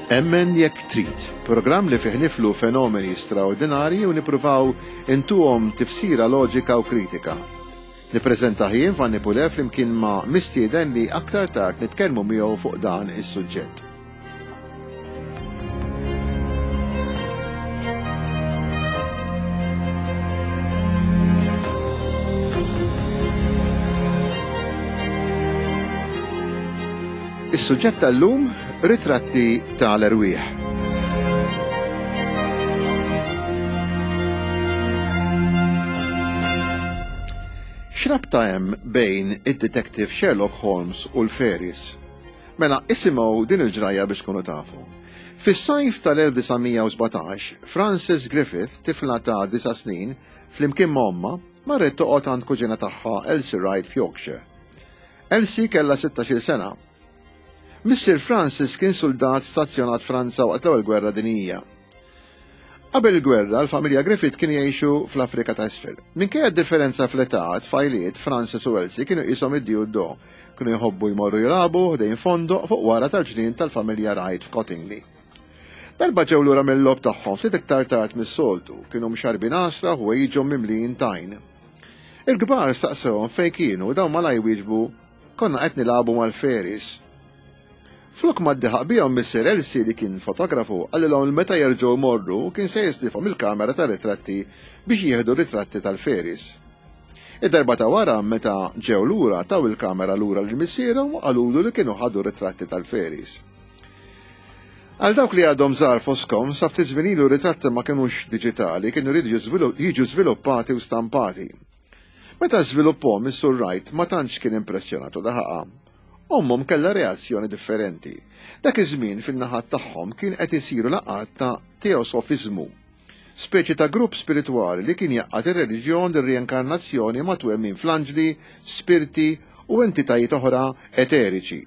Emmen jekk trid, programm li fih niflu fenomeni straordinarji u nippruvaw intuhom tifsira loġika u kritika. Nippreżentah jien Vanni Pulè flimkien ma' mistieden li aktar tard nitkellmu miegħu fuq dan is-suġġett. Is-suġġett tal-lum ritratti tal-erwieħ. X'rabta hemm bejn id-detective Sherlock Holmes u l-fairies? Mela, isimgħu din il-ġrajja biex tkunu tafu. Fis-sajf tal-1917, Frances Griffith, tifla ta' disa' snin, flimkien ma' ommha, marret toqgħod għand kuġina tagħha Elsie Wright f'Yorkshire. Elsie kellha 16-il sena. Missier Francis kien suldat stazzjonat Franza waqt l-Ewwel Gwerra Dinjija. Qabel il-gwerra, l-familja Griffith kienu jgħixu fl-Afrika ta' Isfel. Minkejja d-differenza fl-età, tfajliet, Francis u Elsie kienu qishom id-di u d-do. Kienu jħobbu jmorru jilagħbu ħdejn fondoq fuq wara tal-ġnien tal-familja Wright f'Cottingley. Darba ġew lura mill-logħob tagħhom ftit iktar tard mis-soltu, kienu mxarrbin għasra u ħwejjiġhom mimlijin tajn. Il-kbar staqsewhom fejn kienu u dawn malajr wieġbu, Konna qed nilagħbu mal-fairies. Flok ma ddeħaq bihom missier Elsie li kien fotografu qalilhom li meta jerġgħu jmorru kien se jislifhom il-kamera tar-ritratti biex jieħdu ritratti tal-fairies. Id-darba ta' wara meta ġew lura taw il-kamera lura lil missierhom u qalulu li kienu ħadu ritratti tal-fairies. Għal dawk li għadhom żgħar fostkom, sa ftit żmien ilu ritratti ma kinux diġitali, kienu jridu jiġu żviluppati u stampati. Meta żvilupphom is-Sur Wright ma tantx kien impressjonat u daħaqha. Ommhom kellha reazzjoni differenti. Dak iż-żmien fin-naħat tagħhom kien qed isiru laqgħat ta' teosofiżmu, speċi ta' grupp spiritwali li kien jgħaqqad ir-reliġjon ir-rienkarnazzjoni ma' twemmin fl-anġli, spirti u entitajiet oħra eteriċi.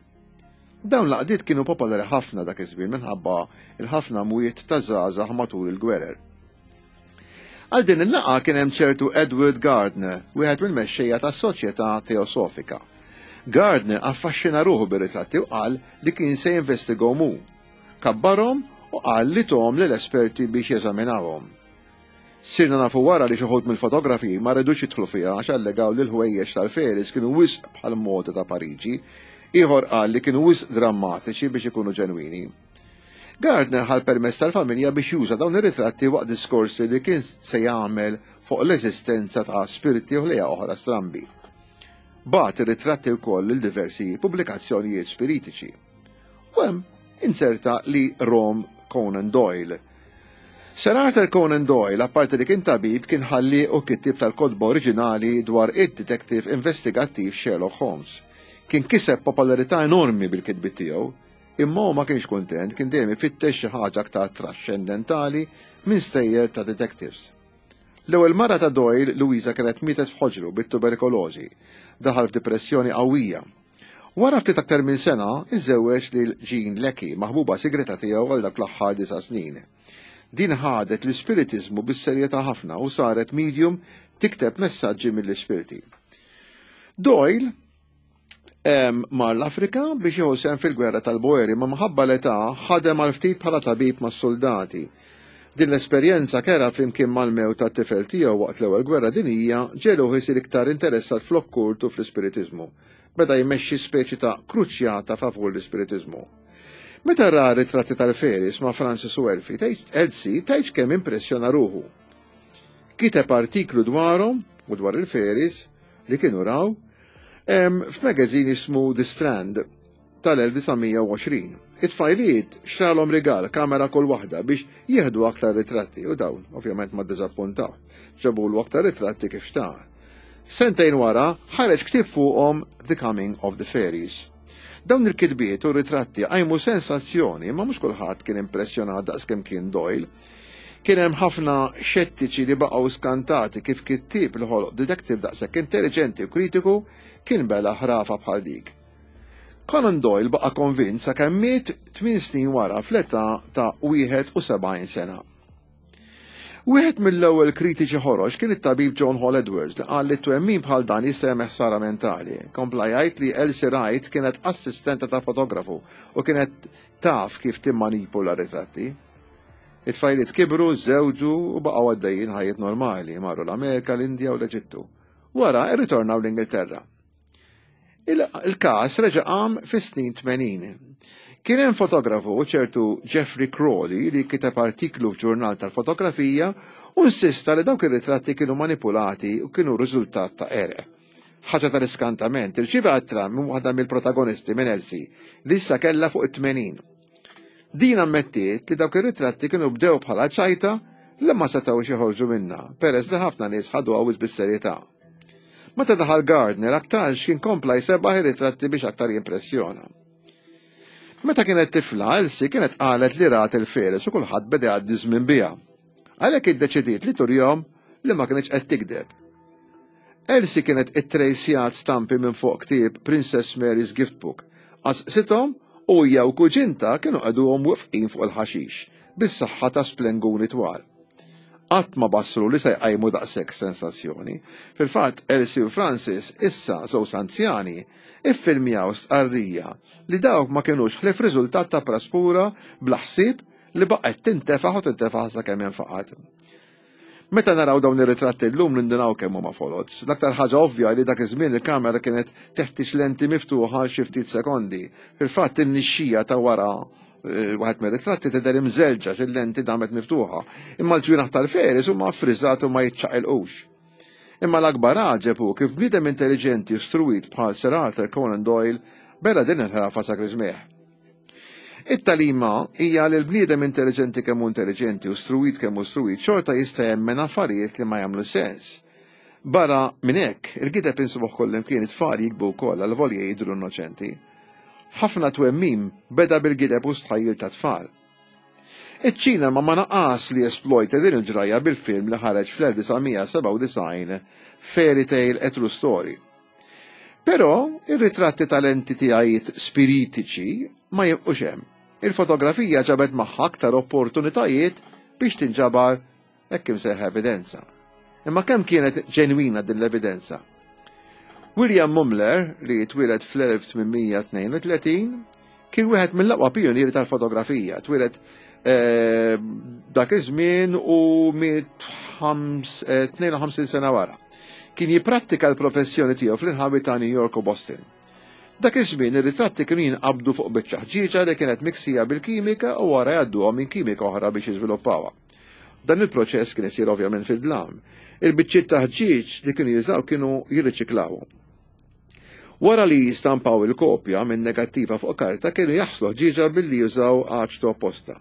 Dawn l-għaqdiet kienu popolari ħafna dak iż-żmien minħabba l-ħafna mwiet ta' żgħażagħ matul il-gwerer. Għal din il-laqgħa kien hemm ċertu Edward Gardner, wieħed mill-mexxejja tas-Soċjetà Teosofika. Gardner affaxxina ruħu bir-ritratti u qal li kien se jinvestigahom hu. Kabbarhom u qal li thom lil esperti biex jeżaminawhom. Sirna nafu wara li xi wħud mill-fotografi ma ridux jidħlu fiha għax allegaw li l-ħwejjeġ tal-fairies kienu wisq bħall-moda ta' Pariġi. Ieħor qal li kienu wisq drammatiċi biex ikunu ġenwini. Gardner ħa l-permess tal-familja biex juża dawn ir-ritratti waqt diskorsi li kien se jagħmel fuq l-eżistenza ta' spirti u ħlejja oħra strambi. Bagħat ir-ritratti wkoll lil diversi pubblikazzjonijiet spiritiċi. U hemm inserta li Rom Conan Doyle. Sir Arthur Conan Doyle, apparti li kien tabib, kien ħallieq u kittieb tal-kotba oriġinali dwar id-detective investigattiv Sherlock Holmes. Kien kiseb popolarità enormi bil-kitbiet tiegħu, Imma hu ma kienx kuntent, kien dejjem ifittex xi ħaġa aktar traxxendentali minn stejjer ta' detectives. L-ewwel mara ta' Doyle, Louisa kienet mietet f'ħoġru bit-tuberikolożi. Daħal f'dipressjoni qawwija. Wara ftit aktar minn sena, iżżewweġ lil Jean Leckie, maħbuba sigreta tiegħu għal dak l-aħħar disa' snin. Din ħadet l-ispiritiżmu bis-serjetà ħafna u saret medium tikteb messaġġi mill-ispirti. Doyle Mar l-Afrika biex jieħu sehem fil-gwerra tal-Boeri, ma minħabba l-età ħadem għal ftit bħala tabib mas-suldati. Din l-esperjenza kerha flimkien mal-mewt tat-tifel tiegħu waqt l-Ewwel Gwerra Dinjija ġegħluh isir iktar interessat fl-okkult u fl-ispiritiżmu. Beda jmexxi speċi ta' kruċjata favur l-ispiritiżmu. Meta ra ritratti tal-Ferris ma' Francis u Elfie, Elsie tgħidx kemm impressjona ruħu. Kiteb artiklu dwarhom u dwar il-Ferris li kienu raw f'magazine jismu The Strand tal-1920. It-tfajliet xtralhom rigal kamera kull waħda biex jieħdu aktar ritratti u dawn ovvjament ma ddiżappuntaw. Ġabulu aktar ritratti kif xtaq. Sentejn wara ħareġ ktieb fuqhom The Coming of the Fairies. Dawn il-kitbiet u ritratti qajmu sensazzjoni imma mhux kulħadd kien impressjonat daqskemm kien Doyle. Kien hemm ħafna xettiċi li baqgħu skantati kif kittieb li ħoloq detective daqshekk intelliġenti u kritiku kien bela ħrafa bħal dik. Conan Doyle baqa' konvint sakemm miet tmien snin wara fl-età ta' 71 sena. Wieħed mill-ewwel kritiċi ħorox kien it-tabib John Hall Edwards li qal li twemmin bħal dan jista' jagħmel ħsara mentali. Kompla jgħid li Elsie Wright kienet assistenta ta' fotografu u kienet taf kif timmanipula ritratti. It-tfajliet kibru, żewġu u baqgħu għaddejjin ħajjiet normali, marru l-Amerika, l-Indja u l-Eġittu. Wara rritornaw l-Ingilterra. Il-każ reġa' qam fis-snin 80. Kien hemm fotografu ċertu Jeffrey Crawley li kiteb artiklu f'ġurnal tal-fotografija u insista li dawk ir-ritratti kienu manipulati u kienu riżultat ta' qerq. Ħaġa tal-iskantament, irċieva ittra minn waħda mill-protagonisti minn Elsie li issa kellha fuq it-80. Din ammettiet li dawk ir-ritratti kienu bdew bħala ċajta li ma setgħux joħorġu minnha peress li ħafna nies ħaduha wisq bis-serjetà. Meta daħal Gardner aktarx kien kompla jsebaħ ir-ritratti biex aktar jimpressjona. Meta kienet tifla, Elsie kienet qalet li rat il-feres u kulħadd beda jgħaddi żmien biha. Għalhekk iddeċidiet li turjhom li ma kienx qed tikdeb. Elsie kienet ittrejsjat stampi minn fuq ktieb Princess Mary's Gift Book. Qasqsithom u hija u kuġinta kienu qegħduhom wifqin fuq il-ħaxix bis-saħħa ta' splenguni twal. Qatt ma bassru li se jqajmu daqshekk sensazzjoni. Fil-fatt, Elsie u Francis, issa żewġ anzjani, iffilmjaw stqarrija li dawk ma kinux ħlief riżultat ta' praspura bla ħsieb li baqgħet tintefaħ u tintefaħ sakemm infaqgħet. Meta naraw dawn ir-ritratti llum nindunaw kemm huma foloz. L-aktar ħaġa ovvja li dak iż-żmien il-kamera kienet teħtieġ lenti miftuħa għal xi ftit sekondi. Fil-fatt in-nixxija ta' wara eh, waħed mir-ritratti tidher imżelġa x'il-lenti damet miftuħa. Imma l-ġwienaħ tal-feris huma ffriżat u ma jiċċaqilqux. Imma l-akbar għaġeb hu kif bniedem intelliġenti u struwit bħal Sir Arthur Conan Doyle bela din il-ħrafa sa griżmejh. It-tagħlima hija li l-bniedem intelliġenti kemm hu intelliġenti u struwit kemm hu struwit xorta jista' jemmen affarijiet li ma jagħmlu sens. Barra minn hekk, il-gideb insibuh kullimkien it-tfal jikbu wkoll għalvolja jidhru innoċenti. Ħafna twemmin beda bil-gideb u stħajjil tat-tfal. Iċ-ċinema ma naqas li jesplojta din il-ġrajja bil-film li ħareġ fl-1997 Fairy Tale A True Story. Però ir-ritratti tal-entitajiet spiritiċi ma jibqux hemm. Il-fotografija ġabet magħha aktar opportunitajiet biex tinġabar hekk imsejħa evidenza. Imma kemm kienet ġenwina din l-evidenza? William Mumler, li twieled fl-1832, kien wieħed mill-aqwa pijunieri tal-fotografija. Twieled eh, dak iż-żmien u miet 52 eh, sena wara. Kien jipprattika l-professjoni tiegħu fl-inħawi ta' New York u Boston. Dak iż-żmien ir-ritratti kienu jinqabdu fuq biċċa ħġieġa li kienet miksija bil-kimika u wara jgħadduhom minn kimika oħra biex jiżviluppawha. Dan il-proċess kien isir ovvjament fid-dlam. Il-biċċiet ta' ħġieġ li kienu jużaw kienu jirriċiklawhom. Wara li jistampaw il-kopja minn negattiva fuq karta kienu jaħslu ħġieġa billi jużaw aċtu apposta.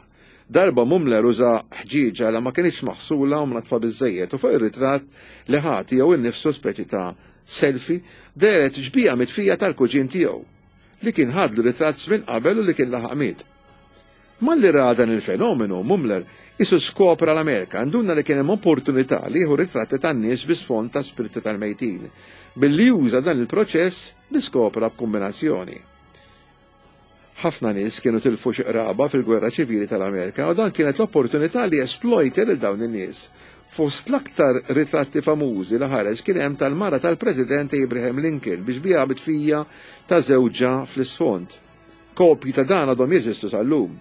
Darba Mumler uża ħġieġa li ma kinitx maħsula u mnaddfa biżżejjed u fuq ir-ritratt li ħa tiegħu innifsu speċi ta' selfie dehret xbieha mitfija tal-kuġin tiegħu li kien ħadlu ritratt żmien qabel u li kien laħaq miet. Malli ra dan il-fenomenu, Mumler qisu skopra l-Amerika, nduna li kien hemm opportunità li jieħu ritratti tan-nies bi sfond ta' spirti tal-mejtin, billi juża dan il-proċess li skopra b'kumbinazzjoni. Ħafna nies kienu tilfu xi qraba fil-Gwerra Ċivili tal-Amerika u dan kienet l-opportunità li jesplojta lil dawn in-nies. Fost l-aktar ritratti famużi li ħareġ kien hemm tal-mara tal-President Abraham Lincoln bi xbieha mitfija ta' żewġha fl-isfond. Kopji ta' dan għadhom jeżistu sal-lum.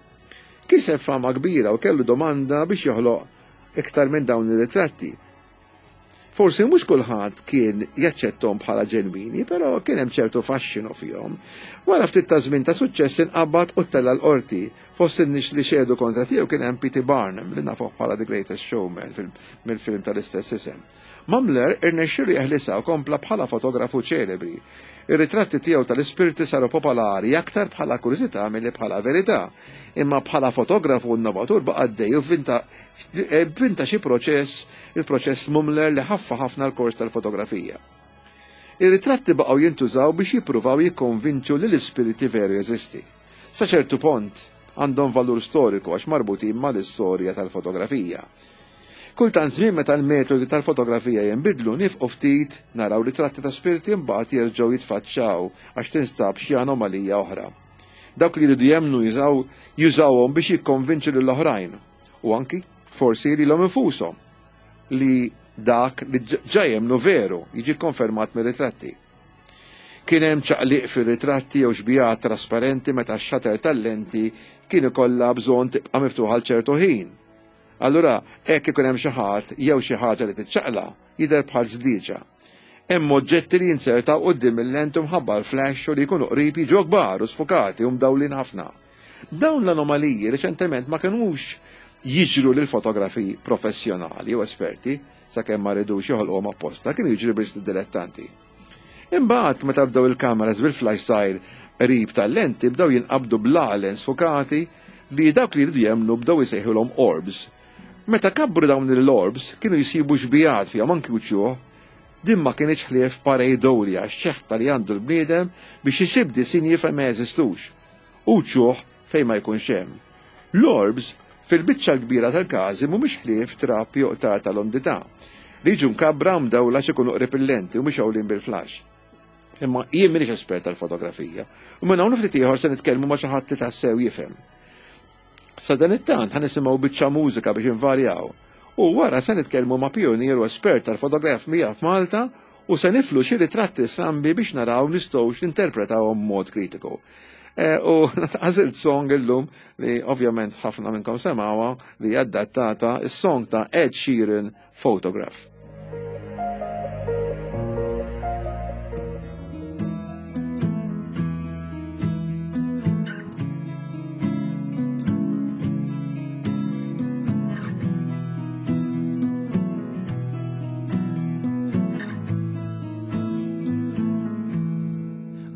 Kiseb fama kbira u kellu domanda biex joħloq iktar minn dawn ir-ritratti. Forsi mhux kulħadd kien jaċċettom bħala ġenwini, però kien hemm ċertu faxxinu fihom. Wara ftit ta' żmien ta' suċċess inqabad u ttella' l-qorti. Fost in-nies li xehdu kontra tiegħu kien hemm P.T. Barnum li nafuh bħala The Greatest Showman mill-film tal-istess isem. Mumler irnexxielu jeħlisha u kompla bħala fotografu ċelebri. Ir-ritratti tiegħu tal-ispirti saru popolari aktar bħala kurżità milli bħala verità. Imma bħala fotografu innovatur baqa' għaddej u vvinta vvinta xi proċess, il-proċess Mumler li ħaffa ħafna l-kors tal-fotografija. Ir-ritratti baqgħu jintużaw biex jippruvaw jikkonvinċu li l-ispirti veru jeżisti. Sa ċertu pont, għandhom valur storiku għax marbutin mal-istorja tal-fotografija. Kultant żmien meta l-metodi tal-fotografija jinbidlu nifqu ftit naraw ritratti ta' spirti imbagħad jerġgħu jitfaċċaw għax tinstab xi anomalija oħra. Dawk li jridu jemmnu jużaw jużawhom biex jikkonvinċu lill-oħrajn u anki forsi lilhom infushom. li dak li ġa jemmnu veru jiġi konfermat mir-ritratti. Kien hemm ċaqliq fir-ritratti jew xbijat trasparenti meta x-shutter tal-lenti kien ikollha bżonn tibqa' miftuħa għal ċertu ħin. Allura hekk ikun hemm xi ħadd jew xi ħaġa li tiċċaqla' jidher bħal żdieġa. Hemm oġġetti li jinzertaw quddiem il-lenti mħabba l-flash u li jkunu qrib jiġu kbar u sfukati u mdawlin ħafna. Dawn l-anomaliji reċentement ma kinux jiġru lil fotografi professjonali u esperti sakemm ma ridux joħolquhom apposta, kienu jiġru biss lid-dilettanti. Imbagħad meta bdew il-kameras bil-flash żgħir qrib tal-lenti bdew jinqabdu blalen sfukati li dawk li jridu jemmnu bdew isejħulhom orbs. Meta kabbru dawn l-orbs kienu jsibu xbijat fihom anki wċuħ. Din ma kinitx ħlief pareidolia, x-xeħta li għandu l-bniedem biex isib disinji fejn ma jeżistux, u wċuħ fejn ma jkunx hemm. L-orbs, fil-biċċa l-kbira tal-każi mhumiex ħlief trab jew qtar tal-umdità, li jiġu mkabbra u mdawla għax ikunu qrib il-lenti u mixgħulin bil-flash. Imma jien m'iniex espert tal-fotografija, u minn hawn ftit ieħor se nitkellmu ma' xi ħadd li tassew jifhem. Sadanittant ħa nisimgħu biċċa mużika biex invarjaw u wara se nitkellmu ma' pijunier u espert tal-fotografija f'Malta u se niflu xi ritratti strambi biex naraw nistgħux ninterpretawhom b'mod kritiku. E, u għażilt song illum li ovvjament ħafna minnkom semgħuha li adattata is-song ta' Ed Sheeran Photograph.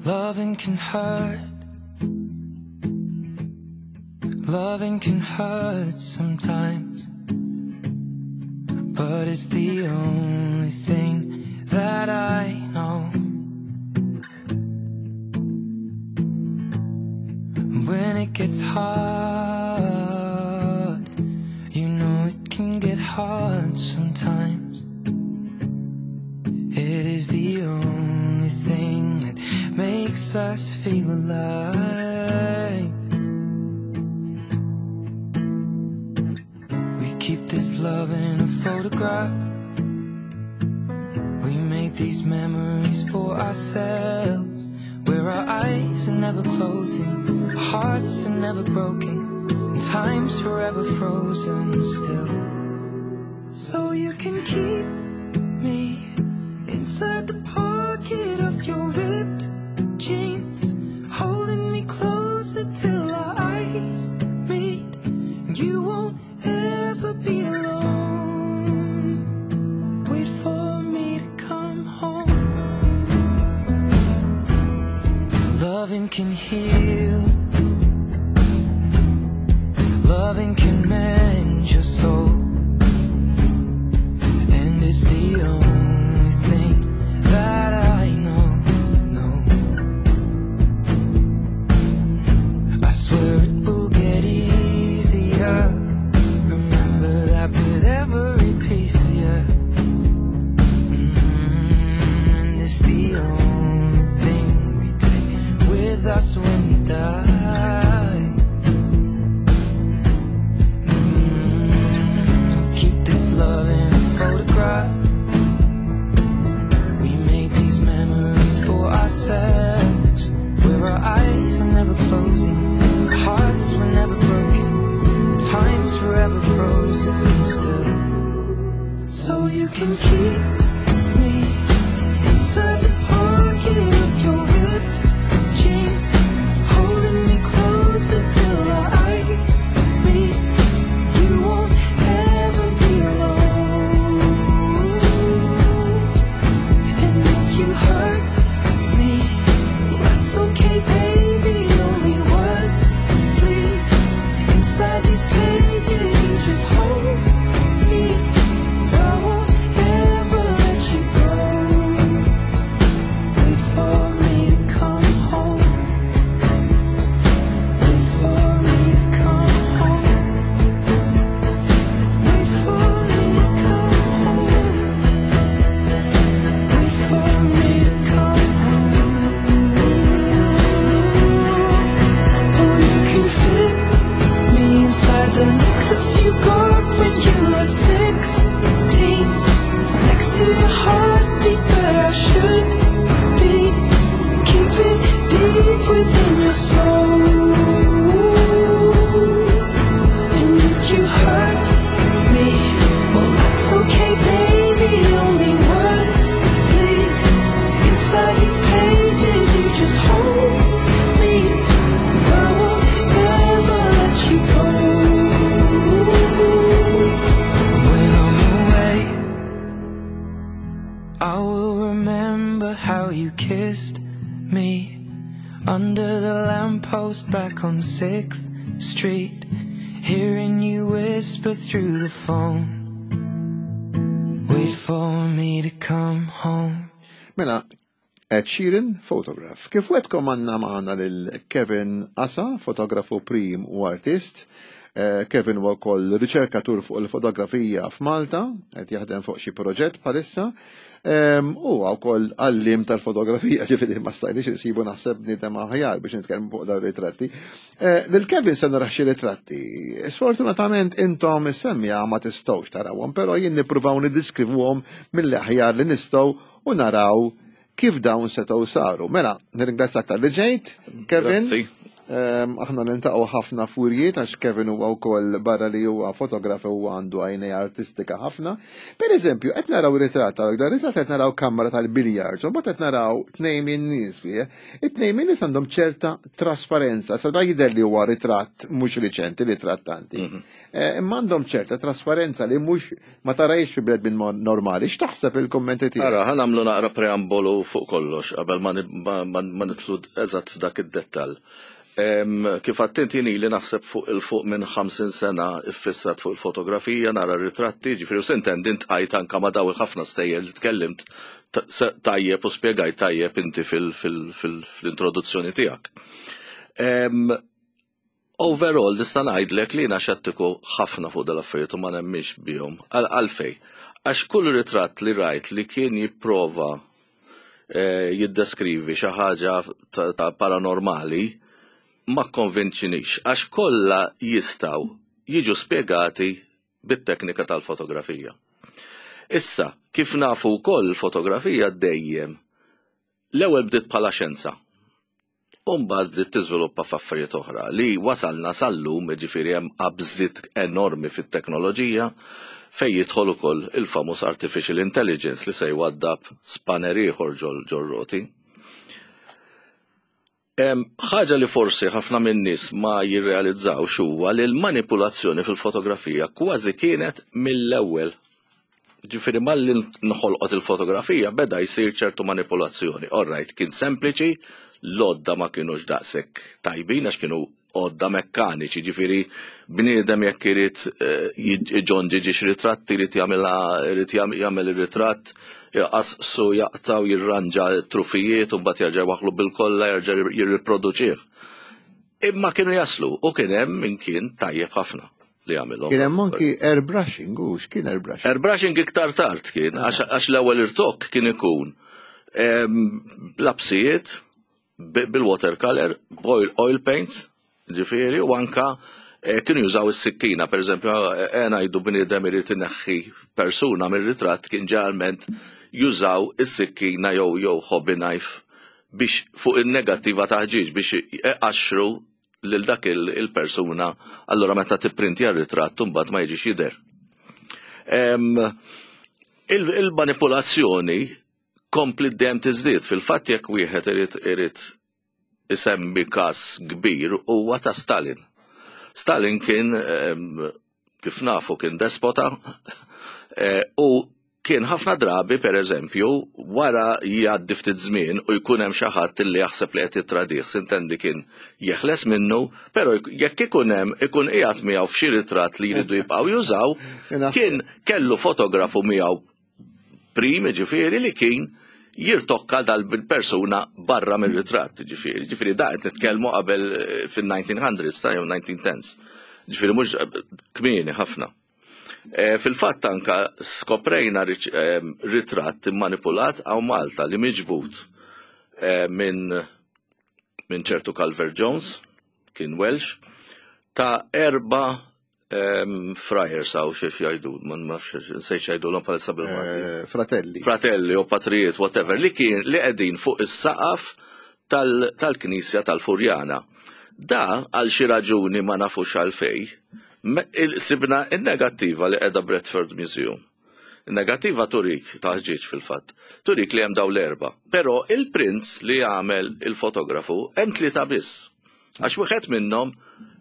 Loving can hurt. Loving can hurt sometimes. But it's the only thing that I know. When it gets hard, you know it can get hard sometimes. It is the only thing that makes us feel alive. We keep this love in a photograph. We made these memories for ourselves, where our eyes are never closing, hearts are never broken, and time's forever frozen still. So you can keep me inside the pocket of your ripped jeans, holding me closer till our eyes meet. You won't ever be alone. Wait for me to come home. Loving can heal. Loving can mend your soul. And it's the only thing that I know. No. I swear it will get easier. Remember that with every piece of you. And it's the only thing we take with us when we die. Keep this love in a photograph. We made these memories for ourselves, where our eyes are never closing, hearts were never broken, time's forever frozen still. So you can keep me inside the pocket of your ripped jeans, holding me closer till our eyes meet. You won't ever be alone. And if you hurt me, well, that's okay, baby. Only words bleed inside these pages. You just hold me. I won't ever me under the lamppost back on 6th Street, hearing you whisper through the phone. Wait for me to come home. Mela, Ed Sheeran, photograph. Kif wetkom għanna maħna lil Kevin Asa, fotografu prim u artist. Eh, Kevin huwa wkoll riċerkatur fuq il-fotografija f'Malta, qed jaħdem fuq xi proġett bħalissa. Ehm, huwa wkoll għallim tal-fotografija, ġifieri ma stajniex insibu naħseb bniedem aħjar biex nitkellmu fuq dawn ritratti. Eh, lil Kevin se narax xi ritratti. Sfortunatament intom is-semmija ma tistgħux tarawhom, però jien nippruvaw niddiskrivuhom mill-aħjar li nistgħu u naraw kif dawn setgħu saru. Mela, nirringrazzjak tal-li ġejt, Kevin. Grazzi. Ehm, aħna niltaqgħu ħafna f'wirjiet għax Kevin huwa wkoll barra li huwa fotografu huwa għandu għajnej artistika ħafna. Per eżempju, qed naraw ritratt hawnhekk, dan ritratt qed naraw kamra tal-biljards, u mbagħad qed naraw tnejn minn nies fih. It-tnejn minn nies għandhom ċerta trasparenza, sa da jidher li huwa ritratt mhux riċenti ritratt tanti. Mhm. Eh, imma għandhom ċerta trasparenza li mhux ma tarajx fi bledmin normali. X'taħseb il-kummenti tiegħek? Ara, ħa nagħmlu naqra preambolu fuq kollox qabel ma nidħlu eżatt f'dak id-dettall. Kif għattint jien ili naħseb fuq il-fuq minn 50 sena iffissat fuq il-fotografija, nara ritratti, ġifieri u sintendi ntqajt anka ma' daw il-ħafna stejjer li tkellimt tajjeb u spjegajt tajjeb inti fil-introduzzjoni tiegħek. Overall nista' ngħidlek li jiena xettiku ħafna fuq dal-affarijiet u ma nemminx bihom. Għalfejn? Għax kull ritratt li rajt li kien jipprova eh, jiddeskrivi xi ħaġa ta' paranormali ma kkonvinċinix għax kollha jistgħu jiġu spjegati bit-teknika tal-fotografija. Issa, kif nafu wkoll il-fotografija dejjem l-ewwel bdiet bħala xjenza. U mbagħad bdiet tiżviluppa f'affarijiet oħra li wasalna sal-lum, jiġifieri hemm qabżiet enormi fit-teknoloġija fejn jidħol ukoll il-famuż artificial intelligence li se jwaddab spanner ieħor ġol-roti. Ħaġa li forsi ħafna min-nies ma jirrealizzawx huwa li l-manipulazzjoni fil-fotografija kważi kienet mill-ewwel. Ġifieri malli nħolqot il-fotografija beda jsir ċertu manipolazzjoni. All right, kien sempliċi, l-għodda ma kinux daqshekk tajbin għax kienu għodda mekkaniċi, ġifieri bniedem jekk irid eh, iġonġi ġiex ritratti irid jagħmilha irid jagħmel ir-ritratt, jaqasqsu jaqtaw jirranġa trufijiet u mbagħad jerġa' jwaħħlu bil-kolla jerġa' jirriproduċih. Imma kienu jaslu u kien hemm min kien tajjeb ħafna. li għamilhom. Kien hemm anki airbrushing, u x'kien airbrushing? Airbrushing iktar tard kien, ah. għax l-ewwel irtokk kien ikun lapsijiet bil-watercolor, boil oil paints, ġifieri, u anka eh, kienu jużaw is-sikkina, per eżempju, eh, ngħidu bniedem irid ineħħi persuna mir-ritratt kien ġeneralment jużaw is-sikkina jew jew hobby knife biex fuq in-negattiva ta' ħġieġ biex iqaxxru lil dak il-persuna, allura meta tipprintja r-ritratt imbagħad ma jiġix jidher. Il-manipulazzjoni kompli dejjem tiżdied fil-fatt jekk wieħed irid irid isemmi każ kbir huwa ta' Stalin. Stalin kien kif nafu kien despota eh, u kien ħafna drabi per eżempju wara jgħaddi ftit żmien u jkun hemm xi ħadd li jaħseb li qed jittradih sintendi kien jeħles minnu, però jekk ikun hemm ikun qiegħed miegħu f'xi ritratt li jridu jibqgħu jużaw, kien kellu fotografu miegħu prim ġifieri li kien jirtokka dal-persuna barra mir-ritratt, ġifieri. Ġifieri da qed nitkellmu qabel eh, fin-1900s ta' jew 1910s. Ġifieri mhux eh, kmieni ħafna. Eh, fil-fatt anka skoprejna ritratt immanipulat għaw Malta li miġbut minn minn ċertu Calvert Jones, kien Welsh, ta' erba Friars għaw xiex jajdu, ma nafx, nsejt xajdu l-om palissa bil-Malti. Eh, fratelli. Fratelli u patrijiet, whatever, li kien li qegħdin fuq is-saqaf tal-Knisja tal-Furjana. Da għal xi raġuni ma nafux għalfej, sibna in-negattiva li qiegħda Bradford Museum. In-negattiva turik, taħġiġ fil-fatt, turik li hemm daw l-erba. Però il-prinz li għamel il-fotografu hemm tlieta biss. Għax wieħed minnhom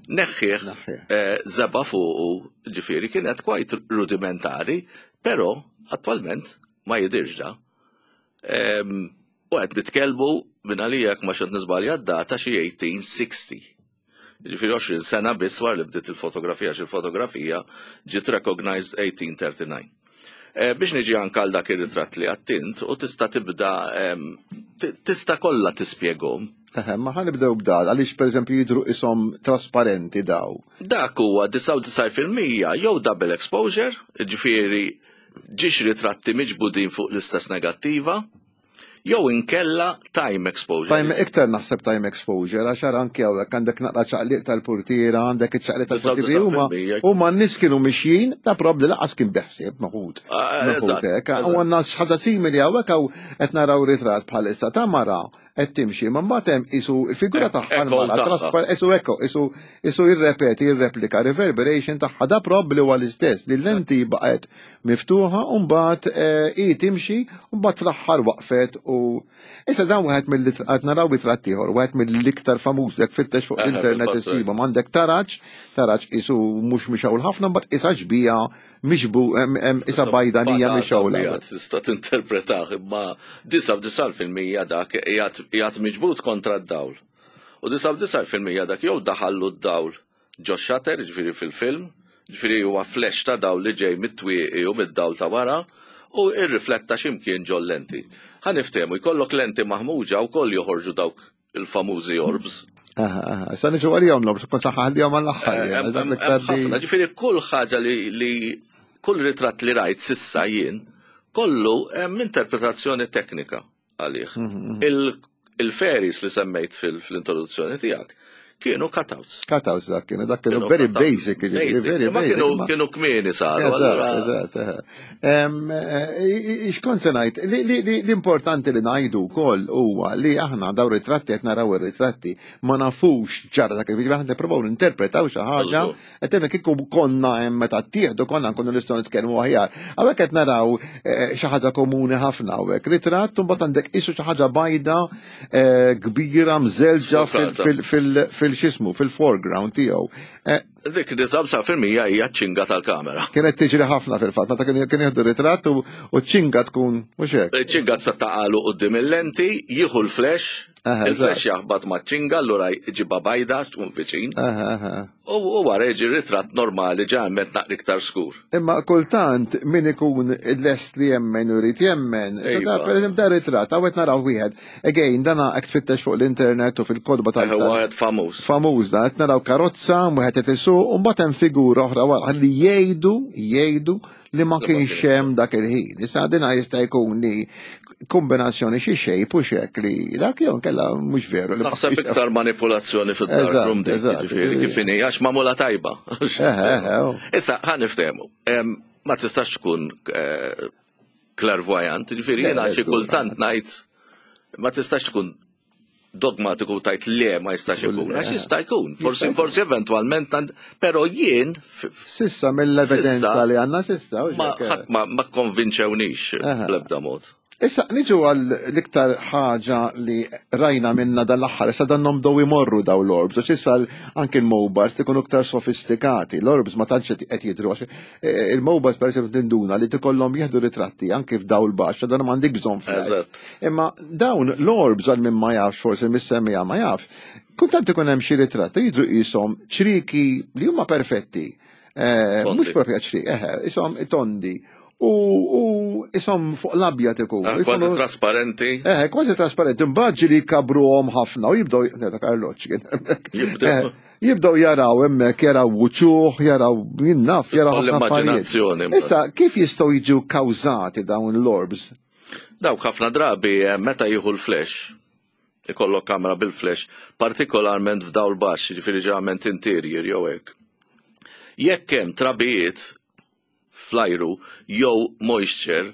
neħħih eh, zeba fuqu, ġifieri kienet kwajt rudimentari, però attwalment ma jidirx da. Ehm, u qed nitkellmu minn għalija jekk ma xed niżbalja d-data xi 1860. Ġifieri 20 sena biss wara li bdiet il-fotografija, xi il-fotografija ġiet recognized 1839. Biex niġi anke għal dak ir-ritratt li għattint u tista' tibda tista' kollha tispjeghom. Eħe, ma ħa nibdew b'dal, għaliex pereżempju jidhru ishom trasparenti daw. Dak huwa 99% jew double exposure, ġifieri ġiex ritratti miġbudin fuq l-istess negattiva, jew inkella time exposure. Time, iktar naħseb time exposure, għax ara anke hawnhekk għandek naqra ċaqliq tal-portiera, għandek iċ-ċaqliq tal-portiera, huma n-nies kienu mixjin, ta' probabbli laqas kien beħsieb meħud. Meħud hekk. U għandna ħaġa simili hawnhekk hawn qed naraw ritratt bħalissa ta' mara qed timxi, ma mbagħad hemm isu il-figura tagħha l-mara traspar isu ekko, isu isu jirrepeti, jirreplika, reverberation tagħha da probabbli huwa l-istess li l-lenti baqgħet miftuħa u mbagħad eh, hi timxi u mbagħad fl-aħħar waqfet u issa dan wieħed mill qed naraw ritratt ieħor, wieħed mill-iktar famuż jekk fittex fuq l-internet issibhom għandek taraġ, taraġ isu mhux mixgħul ħafna mbagħad isa xbija mixbu isa bajdanija mixgħula. Tista' tinterpretah imma 99% dak qiegħed miġbud kontra d-dawl. U 99% dak jew daħallu d-dawl ġo shutter, ġifieri fil-film, ġifieri huwa flash ta' dawl li ġej mit-twieqi u mid-dawl ta' wara u irrifletta x'imkien ġol lenti. Ħa niftehmu, jkollok lenti maħmuġa wkoll joħorġu dawk il-famużi orbs. Aha, aha, sa niġu għalihom l-orbs, kont ħallihom għall-aħħar. Eh, ġifieri kull ħaġa li kull ritratt li rajt sissa jien, kollu hemm interpretazzjoni teknika għalih. Il-fairies li semmejt fil-introduzzjoni tiegħek kienu cutouts. Cutouts dak kienu, dak kienu very basic, very basic. Kienu kmieni saru. Eżatt, eżatt. Eh, xkont se ngħid, l-importanti li ngħidu wkoll huwa li aħna daw ritratti qed naraw ir-ritratti ma nafux ġara dak il-video, aħna nippruvaw ninterpretaw xi ħaġa Qed hemm kieku konna hemm meta ttieħdu konna nkunu nistgħu nitkellmu aħjar. Hawnhekk qed naraw eh, xi ħaġa komuni ħafna hawnhekk. Ritratt u mbagħad għandek qisu xi ħaġa bajda eh, kbira mżelġa fil-xismu, fil-foreground tiegħu. Eh, Dik 99% hija ċinga tal-kamera. Kienet tiġri ħafna fil-fatt, meta kien jieħdu ritratt u ċinga tkun mhux hekk. Ċinga taqalu qudiem il-lenti, jieħu l-flash, Il-flash jaħbat ma' ċinga, allura ġiba bajda tkun viċin. U wara jiġi ritratt normali ġalment naqri iktar skur. Imma kultant min ikun lest li jemmen u jrid jemmen, iva. per eżempju da ritratt, għawet naraw wieħed. Again, dana qed tfittex fuq l-internet u fil-kodba tal. Wieħed famuż. Famuż da, qed naraw karozza, wieħed qed isuq, u mbagħad hemm figura oħra wara li jgħidu, jgħidu li ma kienx hemm dak il-ħin. Issa dina jista' jkun li kombinazzjoni xi xejp u xek li dak jew kella mhux veru. Naħseb iktar manipulazzjoni fid-darkroom dik, ġifieri kif inhi għax magħmula tajba. Oh. Issa ħa niftehmu. Ma tistax tkun eh, clairvoyant, ġifieri jiena xi kultant ngħid ma tistax tkun dogmatiku tajt le ma jistax ikun, għax jista' jkun, forsi forsi eventwalment, però jien. Sissa mill-evidenza li għandna sissa. Ma ħadd ma konvinċewnix bl-ebda mod. Issa niġu għal l-iktar ħaġa li rajna minna dal-aħħar, issa dan bdew imorru daw l-orbs, għax issa anke l-mobiles ikunu iktar sofistikati, l-orbs ma tantx qed jidhru għax eh, il-mobiles per eżempju tinduna li tikollhom jieħdu ritratti anke f'dawl baxx, dan m'għandek bżonn. Imma dawn l-orbs għal min ma jafx forsi mis-semija ma jafx, kultant ikun hemm xi ritratti jidhru qishom ċriki li huma perfetti. Eh, mhux propja ċriki, eħe, ishom tondi. U ishom fuq l-abjad ikun. Ah, kważi trasparenti. Eħe, kważi trasparenti. Imbagħad ġieli jkabruhom ħafna u jibdew dak arloġġ kien. Eh, jibdew jaraw hemmhekk, jaraw wuċuħ, jaraw jinnaf, jaraw l-immaġinazzjoni. Issa, kif jistgħu jiġu kawżati dawn l-orbs? Dawk ħafna drabi eh, meta jieħu l-flash, ikollok kamera bil-flash, partikolarment f'dawl baxx, jiġifieri ġeneralment interior jew hekk. Jekk hemm trabijiet fl-ajru jew moisture,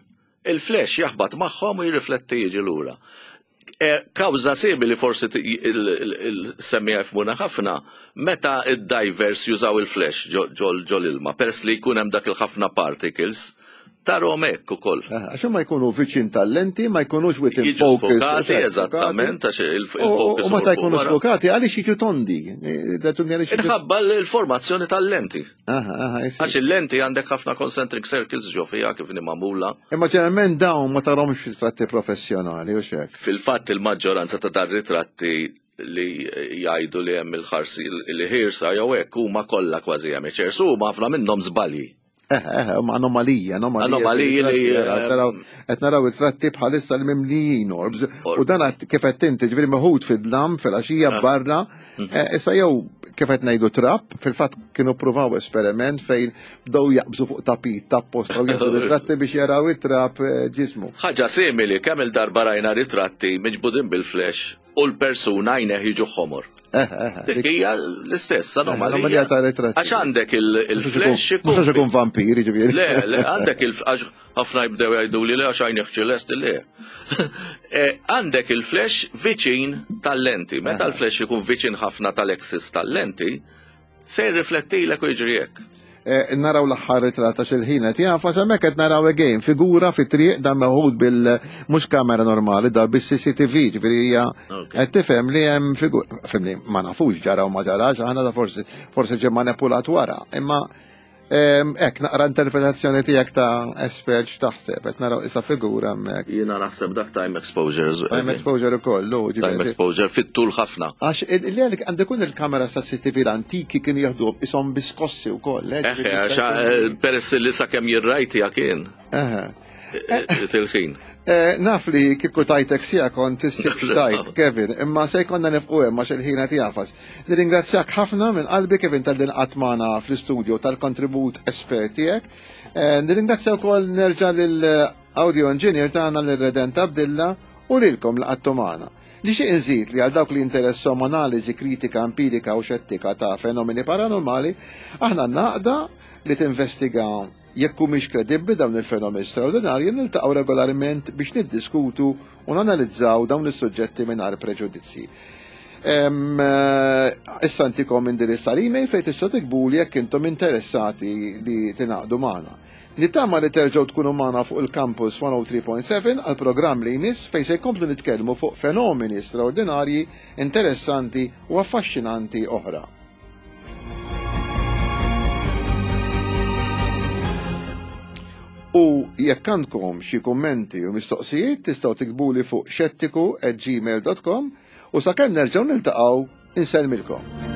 il-flash jaħbat magħhom u jirrifletti jiġi lura. E, kawża simili forsi il-semmija jifmuna ħafna, meta id-divers jużaw il-flash ġol ilma, peress li jkun hemm dak il-ħafna particles, Tarhom hekk ukoll. Għax ma jkunu viċin tal-lenti, ma jkunux within Jiġu focus. sfokati, eżattament, għax il-focus. U meta jkunu sfokati, għaliex jiġu tondi? Raġuni għaliex jiġu. Inħabba l-formazzjoni tal-lenti. Aha, aha, jisir. Għax il-lenti għandek ħafna concentric circles ġo fija kif inhi magħmula. Imma ġeneralment dawn ma tarhomx ritratti professjonali u xek. Fil-fatt il-maġġoranza ta' dar ritratti li jgħidu li hemm il-ħarsi li ħirsa jew hekk huma kollha kważi amateurs huma ħafna minnhom żbalji. Ma anomalija, anomalija. Anomaliji li, Qed naraw it-tratti bħalissa li mimlijin orbs. U dan kif qed inti ġifieri meħud fid-dlam fil-għaxija barra, issa jew kif qed ngħidu trap, fil-fatt kienu pruvaw esperiment fejn bdew jaqbżu fuq tapit ta' posta u jieħdu ritratti biex jaraw it-trap ġismu. Ħaġa simili kemm il-darba rajna ritratti miġbudin bil-flash u l-persuna għajneh jiġu ħomor. Dik hija l-istess anomalija. Anomalija ta' ritratti. Għax għandek il-flash Mhux għax ikun vampir, ġifieri. Le, le, għandek il għax ħafna jibdew jgħidu li le għax għajneh ċelest le. Għandek il-flash viċin tal-lenti. Meta l-flash ikun viċin ħafna tal-axis tal-lenti, se jirriflettilek u jiġri hekk. Naraw l-aħħar ritratt għax il-ħin qed jagħfas, hemmhekk qed naraw again figura fi triq dan meħud bil mhux kamera normali da bis-CCTV, ġifieri hija qed tifhem li hemm figura, fimni ma nafux ġara u ma ġarax, aħna da forsi ġie manipulat wara, imma hekk naqra interpretazzjoni tiegħek ta' espert x'taħseb, qed naraw issa figura hemmhekk. Jiena naħseb dak time exposure. Time exposure ukoll, lu, ġifieri. Time exposure fit-tul ħafna. Għax li għalik għandu jkun il-kamera sa' CCTV l-antiki kienu jieħdu ishom biskossi wkoll, Eħe, għax, peress li sakemm jirrajtija kien. Tilħin. Naf li kieku tajtek sija kont issib x'tajt, Kevin, imma se jkollna nibqgħu hemm għax il-ħin qed jagħfas. Nirringrazzjak ħafna minn qalbi Kevin talli nqatt magħna fl-istudio tal-kontribut espert tiegħek. Nirringrazzja wkoll nerġa' lil audio engineer tagħna lil Redent Abdilla u lilkom li qattu magħna. Nixtieq inżid li għal dawk li jinteressom analiżi kritika, empirika u xettika ta' fenomeni paranormali, aħna għandna għaqda li tinvestiga jekk humiex kredibbli dawn il-fenomeni straordinarji, niltaqgħu regolarment biex niddiskutu u nanalizzaw dawn is-suġġetti mingħajr preġudizzji. Issa ntikom indirizz tal-email fejn tistgħu tiktbuli jekk intom interessati li tingħaqdu magħna. Nittama li terġgħu tkunu magħna fuq il-Campus 103.7 għal programm li jmiss fejn se jkomplu nitkellmu fuq fenomeni straordinarji, interessanti u affaxxinanti oħra. U jekk għandkom xi kummenti u mistoqsijiet tistgħu tiktbuli fuq xettiku at gmail dot com u sakemm nerġgħu niltaqgħu insellmilkom.